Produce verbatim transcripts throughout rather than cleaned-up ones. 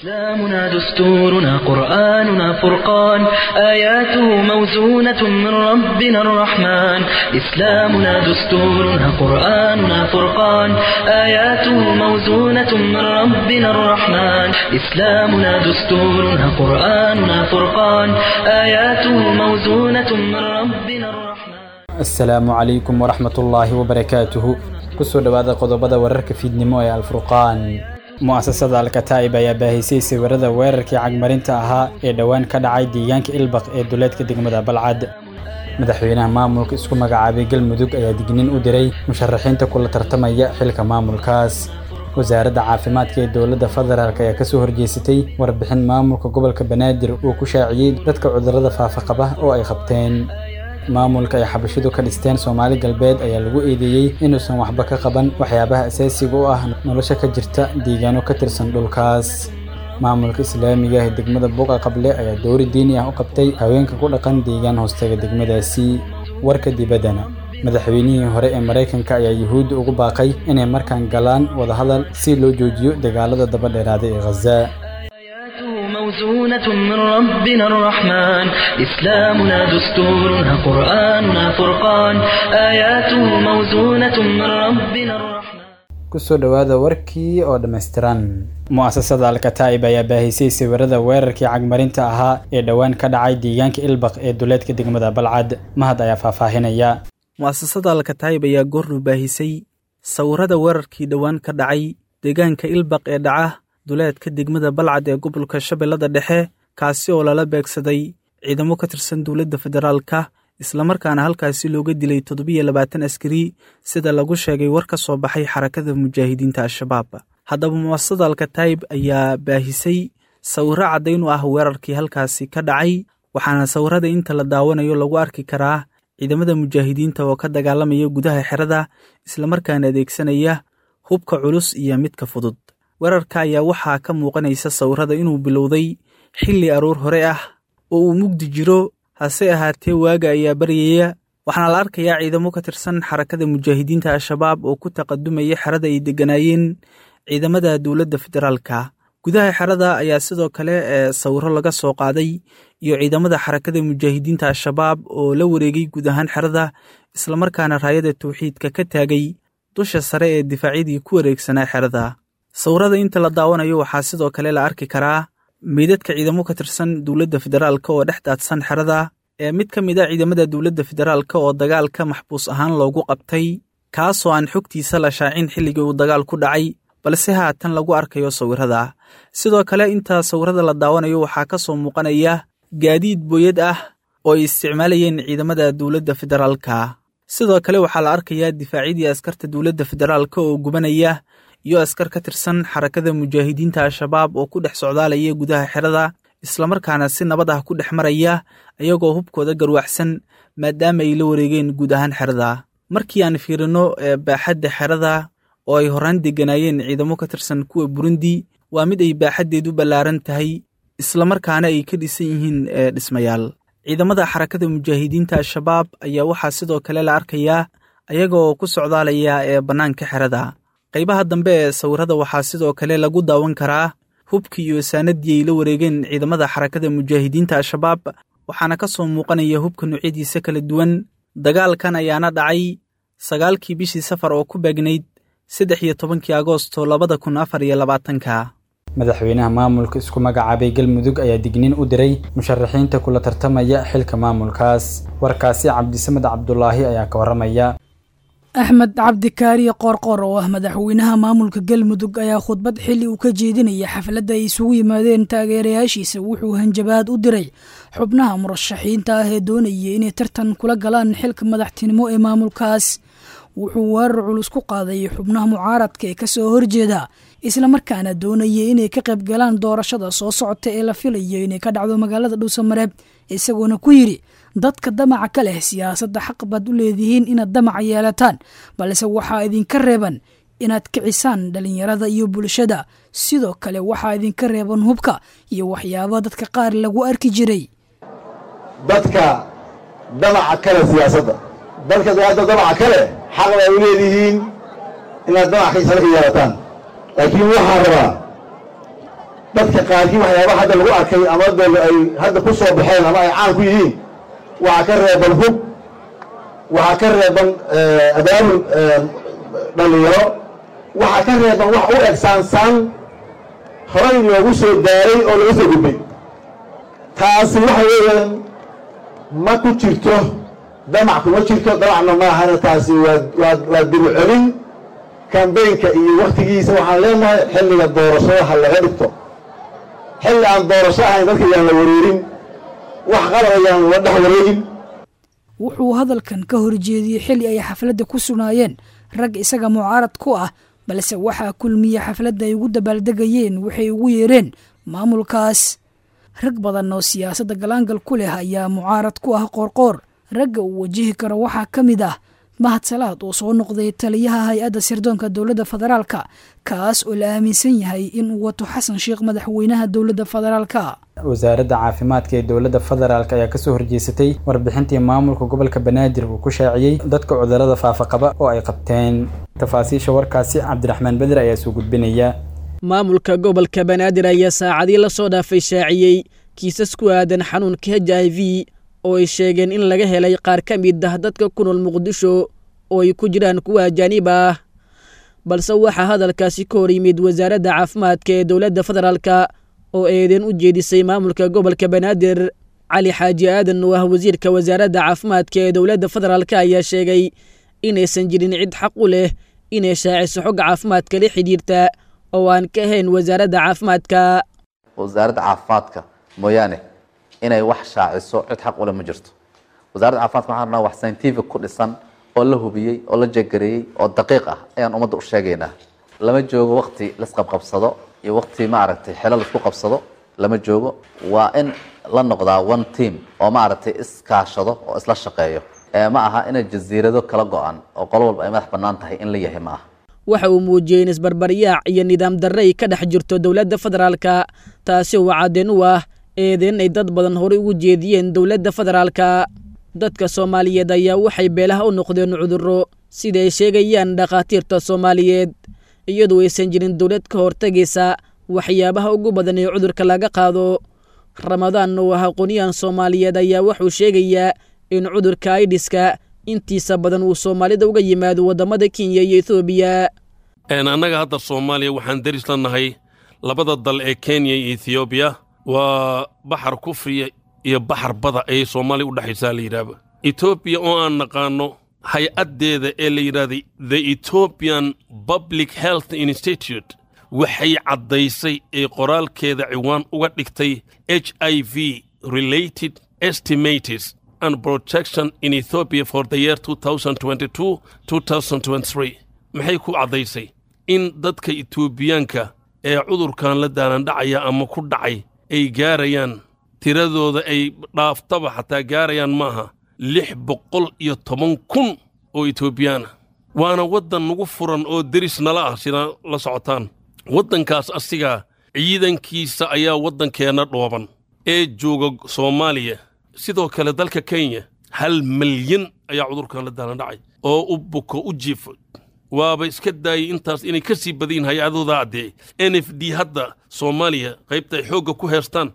إسلامنا دستورنا قرآننا فرقان آياته موزونة من ربنا الرحمن إسلامنا دستورنا قرآننا فرقان آياته موزونة من ربنا الرحمن إسلامنا دستورنا قرآننا فرقان آياته موزونة من ربنا الرحمن. Asalaamu calaykum waraxmatullaahi wabarakaatuhu. Kusoo dhowaada qodobada wararka fiidnimo ee Alfurqaan. Mu'asasada Alkataa'ib ayaa baahisay sawirada weerarkii cagmarinta ahaa ee dhowaan ka dhacay deegaanka Ilbaq ee duleedka degmada Balcad. Madaxweynaha maamulka isku magacaabay Galmudug ayaa digniin u diray musharaxiinta kula tartamaya xilka maamulkaas. Wasaaradda caafimaadka ee dowladda federaalk ayaa kasoo horjeesatay warbixin maamulka gobolka Banaadir uu ku shaaciyey dadka cudurrada faafa qaba oo ay qabteen. Maamulka ay xabashidu ka dhisteen Soomaali Galbeed ayaa lagu eedeeyey inuusan waxba ka qaban waxyaabaha asaasiga u ah nolosha ka jirta deegaano ka tirsan dhulkaas. Maamulka islaamiga ah ee degmada Buqa Qable ayaa dowri diini ah u qabtay haweenka ku dhaqan deegaan hoostaga degmadaasi. Warka dibaddana, madaxweynihii hore ee Maraykanka ayaa Yuhuudda ugu baaqay inay markaan galaan wadahadal si loo joojiyo dagaalada daba dheeraaday ee Ghaza. آياته موزونة من ربنا الرحمن إسلامنا دستورنا قرآننا فرقان آياته موزونة من ربنا الرحمن. Kusoo dhowaada warkii oo dhammaystiran. Mu'asasada Alkataa'ib ayaa baahisay sawirada weerarkii cagmarinta ahaa ee dhowaan ka dhacay deegaanka Ilbaq ee duleedka degmada Balcad. Mahad ayaa faahfaahinaya. Mu'asasada Alkataa'ib ayaa goornu baahisay sawirada weerarkii dhowaan ka dhacay deegaanka Ilbaq ee dhaca duleedka degmada Balcad ee gobolka Shabeellada Dhexe, kaasi oo lala beegsaday ciidamo ka tirsan dowladda federaalka, islamarkaana halkaasi looga dilay toddobiyo labaatan askari, sida lagu sheegay war ka soo baxay Xarakada Mujaahidiinta Al-Shabaab. Haddaba mu'asasada Alkataa'ib ayaa baahisay sawirro caddayn u ah weerarkii halkaasi ka dhacay, waxaana sawirada inta la daawanayo lagu arki karaa ciidamada mujaahidiinta oo ka dagaalamaya gudaha xerada, islamarkaana adeegsanaya hubka culus iyo midka fudud. Weerarka ayaa waxaa ka muuqanaysa sawirada inuu bilowday xilli aroor hore ah oo uu mugdi jiro, hase ahaatee waaga ayaa baryaya, waxaana la arkayaa ciidamo ka tirsan Xarakada Mujaahidiinta Al-Shabaab oo ku taqadumaya xerada ay degganaayeen ciidamada dowladda federaalka. Gudaha xerada ayaa sidoo kale ee sawiro laga soo qaaday iyo ciidamada Xarakada Mujaahidiinta Al-Shabaab oo la wareegay guud ahaan xerada, islamarkaana raayada tawxiidka ka taagay dusha sare ee difaacyadii ku wareegsanaa xerada. Sawirada inta la daawanayo waxaa sidoo kale la arki karaa meydadka ciidamo ka tirsan dowladda federaalka oo dhex daadsan xerada, ee mid ka mid a ciidamada dowladda federaalka oo dagaalka maxbuus ahaan loogu qabtay, kaasoo aan xogtiisa la shaacin xilligii uu dagaal ku dhacay, balse haatan lagu arkayo sawirada. Sidoo kale inta sawirada la daawanayo waxaa ka soo muuqanaya gaadiid booyad ah oo ay isticmaalayeen ciidamada dowladda federaalka. Sidoo kale waxaa la arkayaa difaacyadii askarta dowladda federaalka oo gubanaya iyo askar ka tirsan Xarakada Mujaahidiinta Al-Shabaab oo ku dhex socdaalaya gudaha xerada, islamarkaana si nabad ah ku dhex maraya ayagoo hubkooda garwaxsan, maadaama ay la wareegeen guud ahaan xerada. Markii aan fiirino baaxadda xerada oo ay horaan degganaayeen ciidamo ka tirsan kuwa Burundi, waa mid ay baaxaddeedu ballaaran tahay, islamarkaana ay ka dhisan yihiin dhismayaal. Ciidamada Xarakada Mujaahidiinta Al-Shabaab ayaa waxaa sidoo kale la arkayaa ayagoo ku socdaalaya ee bannaanka xerada. Qaybaha dambe ee sawirada waxaa sidoo kale lagu daawan karaa hubkii iyo saanadii ay la wareegeen ciidamada Xarakada Mujaahidiinta Al-Shabaab, waxaana ka soo muuqanaya hubka noocyadiisa kala duwan. Dagaalkan ayaana dhacay sagaalkii bishii Safar oo ku beegnayd saddex iyo tobankii Agoosto labada kun afar iyo labaatanka. Madaxweynaha maamulka isku magacaabay Galmudug ayaa digniin u diray musharaxiinta kula tartamaya xilka maamulkaas. Warkaasi Cabdisamed Cabdulaahi ayaa ka warramaya. Axmed Cabdikaariye Qoorqoor oo ah madaxweynaha maamulka Galmudug ayaa khudbad xilli uu ka jeedinaya xafladda ay isugu yimaadeen taageerayaashiisa wuxuu hanjabaad u diray xubnaha murashaxiinta ah ee doonaya inay tartan kula galaan xilka madaxtinimo ee maamulkaas. Wuxuu weerar culus ku qaaday xubnaha mucaaradka ee kasoo horjeeda, islamarkaana doonaya inay ka qayb galaan doorashada soo socota ee la filayo inay ka dhacdo magaalada Dhuusamareeb, isagoona ku yidhi: "Dadka damaca ka leh siyaasadda, xaq baad u leedihiin inaad damaca yeelataan, balse waxaa idinka reeban inaad kicisaan dhalinyarada iyo bulshada. Sidoo kale waxaa idinka reeban hubka iyo waxyaaba dadka qaar lagu arki jiray." Dadka damaca kale siyaasadda, dadka hadda damaca kale, xaq baa u leedihiin inaad damac ka yeelataan, laakiin waxaan rabaa Dadka qaarkii waxyaabaha hadda lagu arkay ama de ay hadda ku soo baxeen ama ay caan ku yihiin waxaa ka reeban hub, waxaa ka reeban abaabul dhalinyaro, waxaa ka reeban wax u eg saansaan horay loogu soo daaray oo laga soo gudbay. Taasi waxa weeyaan ma ku jirto damac, kuma jirto damacna maahana. Taasi waa waa waa dib u celin kambeynka iyo waktigiisa. Waxaan leenahay xilliga doorashada ha laga dhigto, xilli aan doorasho ahayn dadka yaan la wareerin, wax qalad ayaan la dhex wareegin. Wuxuu hadalkan ka horjeediyey xilli ay xafladda ku sugnaayeen rag isaga mucaarad ku ah, balse waxaa kulmiye xafladda ay ugu dabaaldegayeen waxay ugu yeereen maamulkaas. Rag badan oo siyaasadda galaangal ku leh ayaa mucaarad ku ah Qoorqoor. Ragga uu wajihi karo waxaa ka mid ah Mahad Salaad oo soo noqday taliyaha hay-adda sirdoonka dowladda federaalka, kaas oo la aaminsan yahay in uu wato Xasan Sheekh, madaxweynaha dowladda federaalka. Wasaaradda caafimaadka ee dowladda federaalk ayaa kasoo horjeesatay warbixintii maamulka gobolka Banaadir uu ku shaaciyey dadka cudurrada faafa qaba oo ay qabteen. Tafaasiisha warkaasi Cabdiraxmaan Beder ayaa soo gudbinaya. Maamulka gobolka Banaadir ayaa saacadii la soo dhaafay shaaciyey kiisas ku aadan xanuunka H I V oo ay sheegeen in laga helay qaar ka mid ah dadka ku nool Muqdisho oo ay ku jiraan kuwa ajaanib ah. Balse waxaa hadalkaasi ka hor yimid wasaaradda caafimaadka ee dowladda federaalka oo eedeen u jeedisay maamulka gobolka Banaadir. Cali Xaaji Aadan oo ah wasiirka wasaaradda caafimaadka ee dowladda federaalka ayaa sheegay inaysan jirin cid xaq u leh inay shaaciso xogga caafimaadka la xidhiirta oo aan ka ahayn wasaaradda caafimaadka. Wasaaradda caafimaadka mooyaane inay wax shaaciso cid xaq u leh ma jirto. Wasaaradda caafimaadka waxaan rabnaa wax scientific ku dhisan oo la hubiyey oo la jegareeyey oo daqiiq ah ayaan ummadda u sheegaynaa. Lama joogo waqti laisqabqabsado iyo waqti maaragtay xelo laisku qabsado lama joogo. Waa in la noqdaa one team oo maaragtay iskaashado oo isla shaqeeyo. Ma aha inay jasiirado kala go-an oo qolo walba ay madax bannaan tahay in la yahay ma aha. Waxa uu muujiyey in isbarbaryaac iyo nidaam darre ay ka dhex jirto dowladda federaalka, taasi oo caddeen u ah eedeen ay dad badan horey ugu jeediyeen dowladda federaalka. Dadka Soomaaliyeed ayaa waxay beelaha u noqdeen cudurro sida ay sheegayaan dhakhaatiirta Soomaaliyeed, iyadoo aysan jirin dowlad ka hortagaysa waxyaabaha ugu badan ee cudurka laga qaado. Ramadaan oo ah aqoonyahan Soomaaliyeed ayaa wuxuu sheegayaa in cudurka aidiska intiisa badan uu Soomaalida uga yimaado waddamada Kenya iyo Etoobiya. Annaga hadda Soomaaliya waxaan deris la nahay labada dal ee Kenya iyo Ethioobiya. Waa baxar kufriya iyo baxar bada ayay Soomaaliya u dhexaysaa la yidhaahba. Etoobiya oo aan naqaano hay-addeeda ee la yidhaahday The Ethiopian Public Health Institute waxay caddaysay ee qoraalkeeda ciwaan uga dhigtay H I V related estimates and protection in Ethiopia for the year two thousand twenty-two two thousand twenty-three. Maxay ku caddaysay in dadka Etoobiyaanka ee cudurkan la daalandhacaya ama ku dhacay ay gaarayaan tiradooda ay dhaaftaba xataa gaarayaan maaha lix boqol iyo toban kun oo Etoobiyaan ah. Waana waddan nagu furan oo deris nala ah sida la socotaan. Waddankaas asigaa ciidankiisa ayaa waddankeenna dhooban ee jooga Soomaaliya. Sidoo kale dalka Kenya hal milyan ayaa cudurkan la daalandhacay oo u buko u jiifo. Waaba iska daayay intaas inay ka sii badayin hay-adooda addee N F D hadda Soomaaliya qaybta ay xoogga ku heestaan.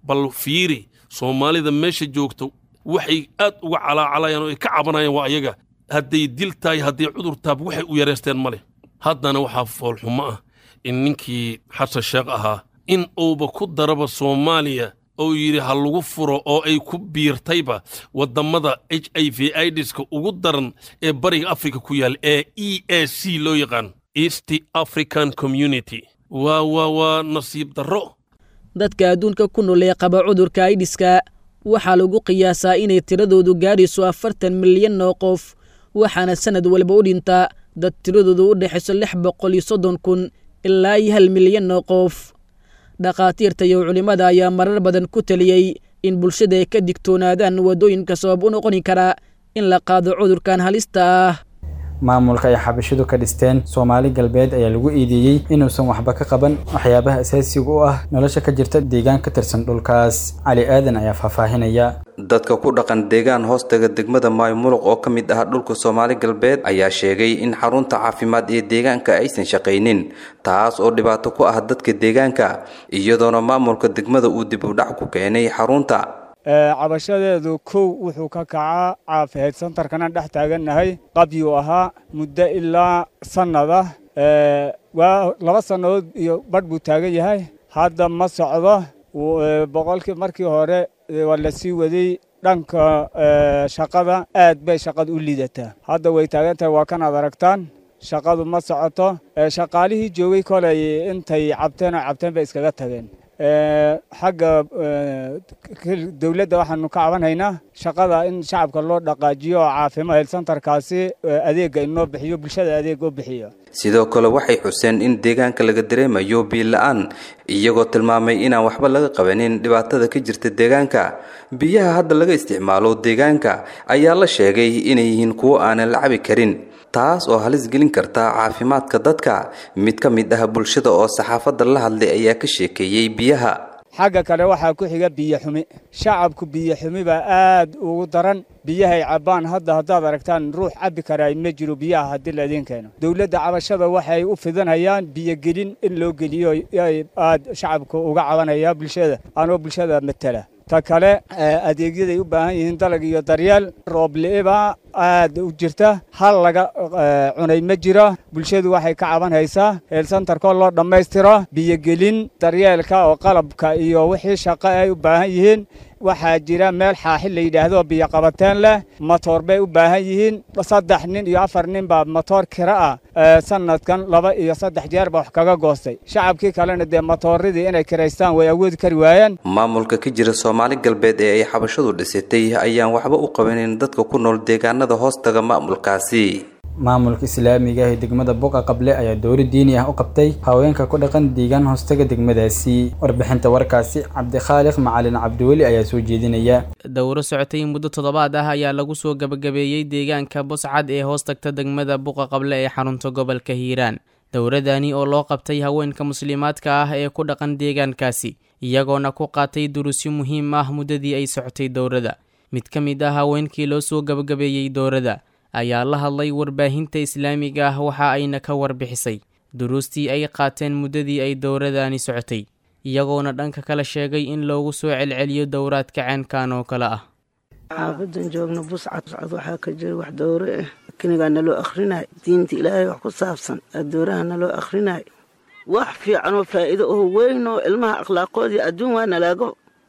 Bal fiiri Soomaalida meesha joogto waxay aad uga calaacalayaan oo ay ka cabanayaan waa ayaga. Hadday dil tahay hadday cudur taab waxay u yareysteen ma leh. Haddana waxaa foolxumo ah in ninkii Xasan Sheekh ahaa in uuba ku daraba Soomaaliya oo yidhi ha lagu furo oo ay ku biirtayba waddamada H I V AIDS-ka ugu daran ee bariga Afrika ku yaal ee E A C loo yaqaan, East African Community. Waa waa waa nasiib darro. Dadka adduunka ku nool ee qaba cudurka aidiska waxaa lagu qiyaasaa inay tiradoodu gaadhayso afartan milyan oo qof, waxaana sanad walba u dhinta dad tiradoodu u dhexayso lix boqol iyo soddon kun ilaa iyo hal milyan oo qof. Dhakhaatiirta iyo culimmada ayaa marar badan ku taliyey in bulshada ay ka digtoonaadaan waddooyinka sabab u noqoni kara in la qaado cudurkan halista ah. Maamulka ay xabashidu ka dhisteen Soomaali Galbeed ayaa lagu eedeeyey inuusan waxba ka qaban waxyaabaha asaasiga u ah nolosha ka jirta deegaan ka tirsan dhulkaas. Cali Aadan ayaa faahfaahinaya. Dadka ku dhaqan deegaan hoostaga degmada Maymuluq oo ka mid ah dhulka Soomaali Galbeed ayaa sheegay in xarunta caafimaad ee deegaanka aysan shaqaynin, taas oo dhibaato ku ah dadka deegaanka, iyadoona maamulka degmada uu dib u dhac ku keenay xarunta. Cabashadeedu kow wuxuu ka kacaa caafimaad santarkana dhex taagannahay, qabyuu ahaa muddo ilaa sannada, waa laba sannadood iyo badh buu taagan yahay, hadda ma socdo. Boqolkii markii hore waa la sii waday dhanka shaqada, aad bay shaqadu u liidataa. Hadda way taagan tahay, waa kanaad aragtaan, shaqadu ma socoto. Shaqaalihii joogay kolay intay cabteen oo cabteen bay iskaga tageen. Xagga dowladda waxaanu ka cabanhaynaa shaqada in shacabka loo dhaqaajiyo oo caafimaad health centerkaasi adeegga inoo bixiyo, bulshada adeeg oo bixiyo. Sidoo kale waxay xuseen in deegaanka laga dareemayo biyo la-aan, iyagoo tilmaamay inaan waxba laga qabanin dhibaatada ka jirta deegaanka. Biyaha hadda laga isticmaalo deegaanka ayaa la sheegay inay yihiin kuwo aanan la cabi karin, taas oo halis gelin karta caafimaadka dadka. Mid ka mid ah bulshada oo saxaafadda la hadlay ayaa ka sheekeeyey biyaha. Xagga kale waxaa ku xiga biyo xumi. Shacabku biyo xumi baa aad ugu daran. Biyahay cabbaan hadda haddaad aragtaan ruux cabbi karaa ma jiro biyaha haddii la idiin keeno. Dowladda cabashada waxay u fidanayaan biyogelin in loo geliyo, aad shacabka uga cabanaya bulshada anoo bulshada matala. Ta kale, adeegyaday u baahan yihiin dalag iyo daryeel, roobli'ibaa aad u jirta, hal laga cunay ma jiro. Bulshadu waxay ka cabanhaysaa heelsantarkoo loo dhammaystiro, biyogelin, daryeelka oo qalabka iyo wixii shaqo ay u baahan yihiin. Waxaa jira meel xaaxi la yidhaahdo biyo qabateen leh, matoor bay u baahan yihiin. Saddex nin iyo afar nin baa matoor kira ah sanadkan laba iyo saddex jeer baa wax kaga goostay. Shacabkii kalena dee matooradii inay kiraystaan way awoodi kari waayeen. Maamulka ka jira Soomaali Galbeed ee ay xabashadu dhisatay ayaan waxba u qabanin dadka ku nool deegaanada hoostaga maamulkaasi. Maamulka islaamiga ah ee degmada Buqa Qable ayaa dowri diini ah u qabtay haweenka ku dhaqan deegaan hoostaga degmadaasi. Warbixinta warkaasi Cabdikhaaliq Macalin Cabdiweli ayaa soo jeedinaya. Dowro socotay muddo toddobaad ah ayaa lagu soo gabagabeeyey deegaanka Buscad ee hoostagta degmada Buqa Qable ee xarunta gobolka Hiiraan. Dowradani oo loo qabtay haweenka muslimaadka ah ee ku dhaqan deegaankaasi, iyagoona ku qaatay duruusyo muhiim ah muddadii ay socotay dowrada. Mid ka mid ah haweenkii loo soo gabagabeeyey dowrada ayaa la hadlay warbaahinta islaamiga ah, waxa ayna ka warbixisay duruustii ay qaateen muddadii ay dowradani socotay, iyagoona dhanka kale sheegay in loogu soo celceliyo dowraadka ceenkan oo kale ah. Xaafadan joogno Buscad waxaa ka jira wax dowro ah, kinigaa naloo akhrinay, diinta Ilaahay wax ku saabsan dowraha naloo akhrinay, wax fiican oo faa'iido oo weyn oo ilmaha akhlaaqoodii adduun waa nalaaga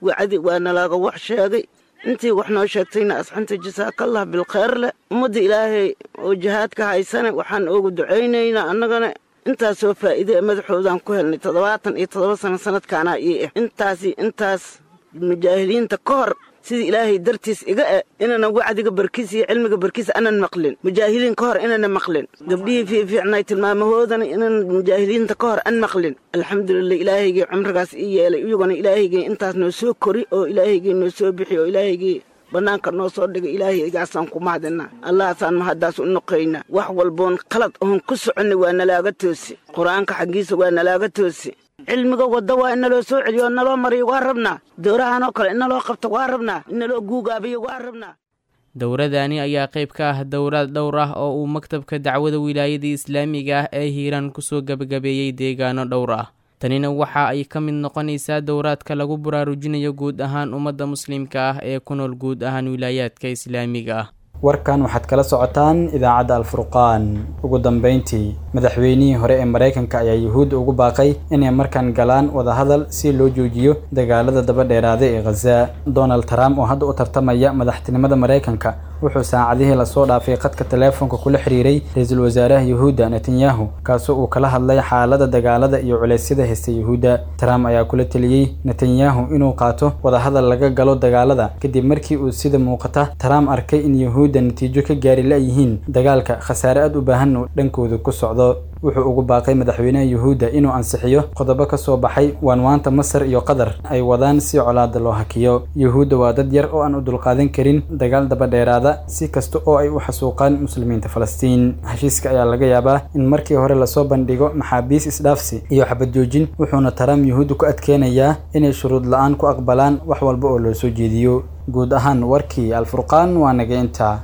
wacdi, waa nalaaga wax sheegay. Intii wax noo sheegtayna asxanta jasaakallah bilkhayr leh. Ummadda Ilaahay oo jihaadka haysana waxaan oogu ducaynaynaa annagana intaasoo faa'iide madaxoodaan ku helnay. Toddobaatan iyo toddoba sano sanadkaanaa ii ah, intaasi intaas mujaahiliinta ka hor sidii Ilaahay dartiis iga e inaanan wacdiga barkiis iyo cilmiga barkiis anan maqlin, mujaahiliin ka hor inana maqlin, gabdhihii fiifiicnay tilmaamahoodana inaan mujaahiliinta ka hor an maqlin. Alxamdulilah, Ilaahaygii cumrigaas ii yeelay, iyaguna Ilaahaygii intaas noo soo kori oo Ilaahaygii noo soo bixi oo Ilaahaygii bannaanka noo soo dhigay, Ilaahaygaasaan ku mahadinaa, Allahaasaan mahaddaas u noqaynaa. Wax walboon qalad oon ku soconnay waa nalaaga toosi, Qur-aanka xaggiisa waa nalaaga toosi, cilmiga wadda waa in naloo soo celiyo oo naloo mariyo waa rabnaa, dowrahan oo kale in naloo qabto waa rabnaa, in naloo guugaabiyo waa rabnaa. Dowradani ayaa qayb ka ah dowraad dhowr ah oo uu maktabka dacwada wilaayada islaamiga ah ee Hiiraan kusoo gabagabeeyey deegaano dhowr ah. Tanina waxa ay ka mid noqonaysaa dowraadka lagu baraarujinayo guud ahaan ummadda muslimka ah ee ku nool guud ahaan wilaayaadka islaamiga ah. Warkan waxaad kala socotaan idaacadda Alfurqaan. Ugu dambeyntii, madaxweynihii hore ee Maraykanka ayaa Yuhuudda ugu baaqay inay markaan galaan wadahadal si loo joojiyo dagaalada daba dheeraaday ee Khaza. Donald Trump oo hadda u tartamaya madaxtinimada Maraykanka wuxuu saacadihii lasoo dhaafay khadka teleefonka kula xiriiray ra-iisul wasaaraha Yuhuudda Netanyahu, kaasoo uu kala hadlay xaaladda dagaalada iyo culeysyada haysta Yuhuudda. Trump ayaa kula teliyey Netanyahu inuu qaato wadahadal laga galo dagaalada, kadib markii uu sida muuqata Trump arkay in Yuhuudda natiijo ka gaari la-yihiin dagaalka, khasaare aad u baahan uu dhankooda ku socdo. Wuxuu ugu baaqay madaxweynaha Yuhuudda inuu ansixiyo qodobo ka soo baxay waanwaanta Masar iyo Qatar ay wadaan si colaadda loo hakiyo. Yuhuudda waa dad yar oo aan u dulqaadan karin dagaal daba dheeraada si kasta oo ay u xasuuqaan muslimiinta Falastiin. Heshiiska ayaa laga yaabaa in markii hore lasoo bandhigo maxaabiis isdhaafsi iyo xabad joojin, wuxuuna Trump Yuhuudda ku adkeenayaa inay shuruud la'aan ku aqbalaan wax walba oo loo soo jeediyo. Guud ahaan warkii Alfurqaan waa naga intaa.